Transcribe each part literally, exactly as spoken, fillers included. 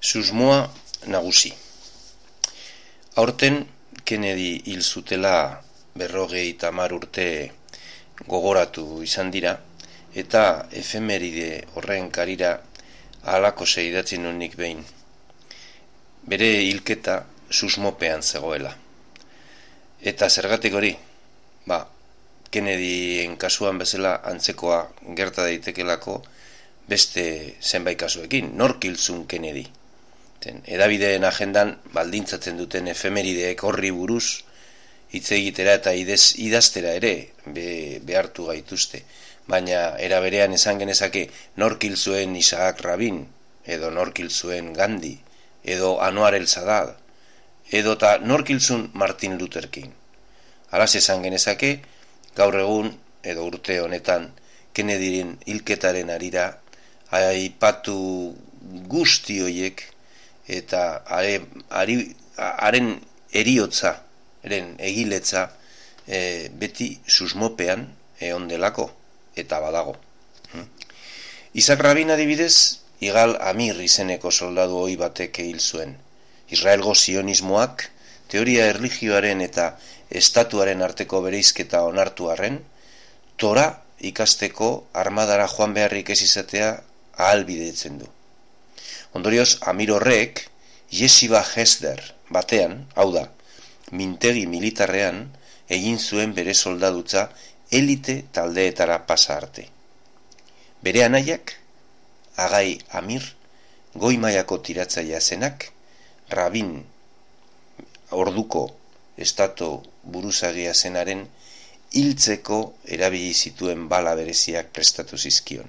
Susmoa nagusi. Aurten Kennedy hil zutela berrogei tamar urte gogoratu izan dira, eta efemeride horren karira halako idatzi nunik behin. Bere hilketa susmopean zegoela. Eta zergatik hori, ba, Kennedyen kasuan bezala antzekoa gerta daitekelako beste zenbait kasuekin. Nork hil zuen Kennedy? Hedabideen agendan baldintzatzen duten efemerideek horri buruz hitz egitera eta idez, idaztera ere be, behartu gaituzte. Baina era berean esan genezake nork hil zuen Isaac Rabin, edo nork hil zuen Gandhi, edo Anwar el-Sadat, edo ta nork hil zuen Martin Luther King. Halaz esan genezake, gaur egun edo urte honetan Kennedyen hilketaren harira aipatu guzti hoiek eta are, ari, haren eriotza, eren egiletza e, beti susmopean egon delako eta badago. Hmm. Isaac Rabin adibidez, Igal Amir izeneko soldadu ohi batek hil zuen. Israelgo sionismoak teoria erlijioaren eta estatuaren arteko bereizketa onartu arren, Tora ikasteko armadara joan beharrik ez izatea ahalbidetzen du. Ondorioz, Amir horrek Yeshiva Hesder batean, hau da, mintegi militarrean, egin zuen bere soldadutza elite taldeetara pasa arte. Bere anaiak, Agai Amir, goi mailako tiratzailea zenak, Rabin orduko estatu buruzagia zenaren hiltzeko erabili zituen bala bereziak prestatu zizkion.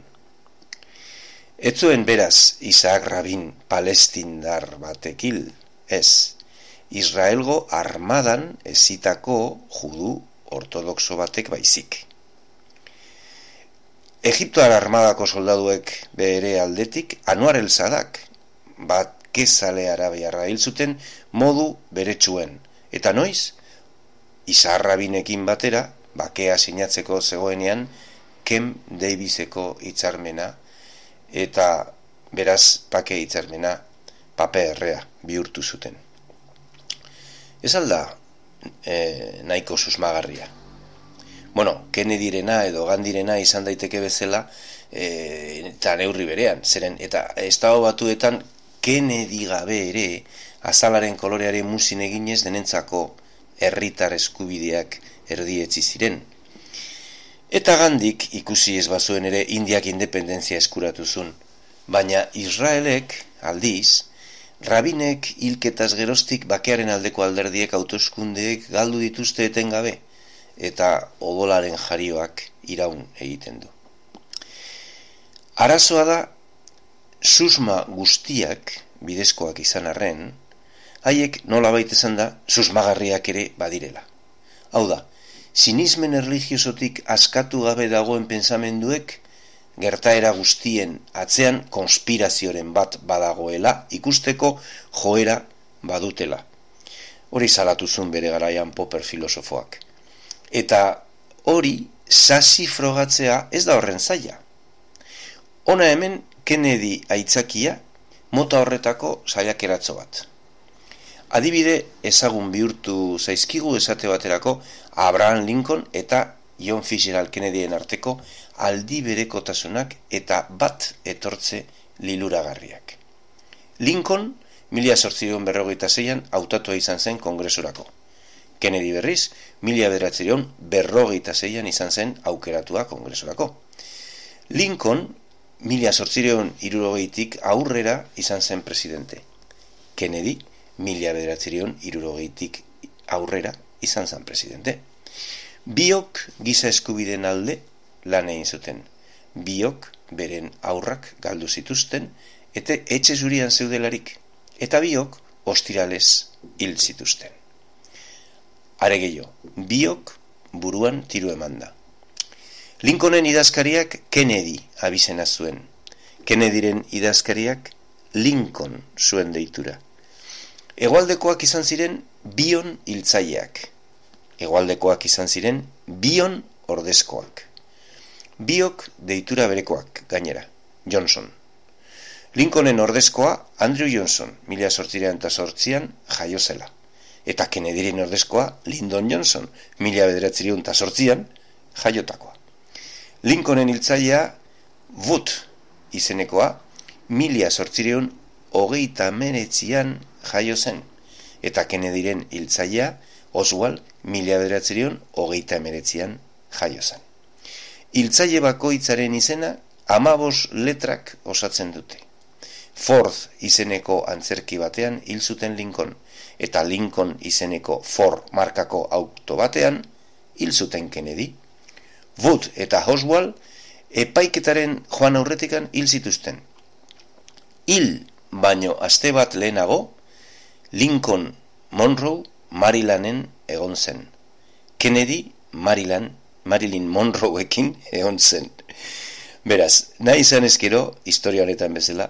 Ez zuen beraz Isaac Rabin palestindar batek hil, ez, Israelgo armadan ezitako judu ortodoxo batek baizik. Egiptoar armadako soldaduek bere aldetik Anwar el-Sadak bat kezale arabiarra hil zuten modu beretsuen, eta noiz, Isaac Rabinekin batera, bakea sinatzeko zegoenean Kem Daviseko hitzarmena, eta beraz pake hitzarmena paperrea bihurtu zuten. Ez alda e, nahiko susmagarria. Bueno, Kennedyrena edo Gandhirena izan daiteke bezala e, eta neurri berean, zeren eta estado batuetan Kennedy gabe ere azalaren kolorearen muzin eginez denentzako herritar eskubideak erdietzi ziren. Eta Gandhik ikusi ez bazuen ere Indiak independentzia eskuratu zuen, baina Israelek aldiz, Rabinek hilketaz geroztik bakearen aldeko alderdiek hauteskundeek galdu dituzte etengabe, eta odolaren jarioak iraun egiten du. Arazoa da, susma guztiak bidezkoak izan arren, haiek nolabait esan da, susmagarriak ere badirela. Hau da, sinismen erlijiosotik askatu gabe dagoen pensamenduek, gertaera guztien atzean konspirazioren bat badagoela ikusteko joera badutela. Hori salatu zuen bere garaian Popper filosofoak. Eta hori sasi frogatzea ez da horren zaila. Hona hemen Kennedy aitzakia mota horretako saiakeratzo bat. Adibide ezagun bihurtu zaizkigu esate baterako Abraham Lincoln eta John Fitzgerald Kennedyen arteko aldi berekotasunak eta bat etortze liluragarriak. Lincoln mila zortziehun berrogeita seian hautatua izan zen kongresurako. Kennedy berriz mila bederatziehun berrogeita seian izan zen aukeratua kongresurako. Lincoln mila zortziehun hirurogeitik aurrera izan zen presidente. Kennedy mila bederatziehun hirurogeitik aurrera izan zen presidente. Biok giza eskubideen alde lan egin zuten. Biok beren aurrak galdu zituzten eta etxe zurian zeudelarik. Eta biok ostiralez hil zituzten. Are gehiago, biok buruan tiru emanda. Lincolnen idazkariak Kennedy abizena zuen. Kennedyren idazkariak Lincoln zuen deitura. Hegoaldekoak izan ziren bion hiltzaileak. Hegoaldekoak izan ziren bion ordezkoak. Biok deitura berekoak gainera, Johnson. Lincolnen ordezkoa Andrew Johnson, mila zortzireun eta zortzian jaio zela. Eta Kennedyren ordezkoa Lyndon Johnson, mila bederatzireun eta zortzian jaiotakoa. Lincolnen hiltzailea Wood izenekoa, mila zortzireun hogeita hemeretzian jaio zen. Eta Kennedyren hiltzailea Oswald, mila bederatzireun hogeita hemeretzian jaio zen. Hiltzaile bakoitzaren izena hamabos letrak osatzen dute. Ford izeneko antzerki batean hil zuten Lincoln, eta Lincoln izeneko Ford markako auto batean hil zuten Kennedy. Wood eta Oswald epaiketaren joan aurretikan hil zituzten. Hil baino aste bat lehenago, Lincoln Monroe Marylanden egon zen. Kennedy Maryland, Marilyn Monroeekin egon zen. Beraz, nahi izan ezkero, historia honetan bezala,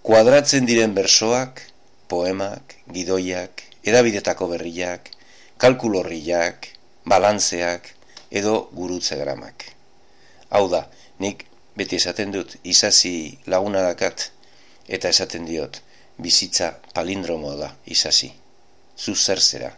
kuadratzen diren bersoak, poemak, gidoiak, edabidetako berriak, kalkulorriak, balantzeak, edo gurutzegramak. Hau da, nik beti esaten dut, isasi laguna dakat, eta esaten diot, bizitza palindromoa da, isasi. Zu zer zera?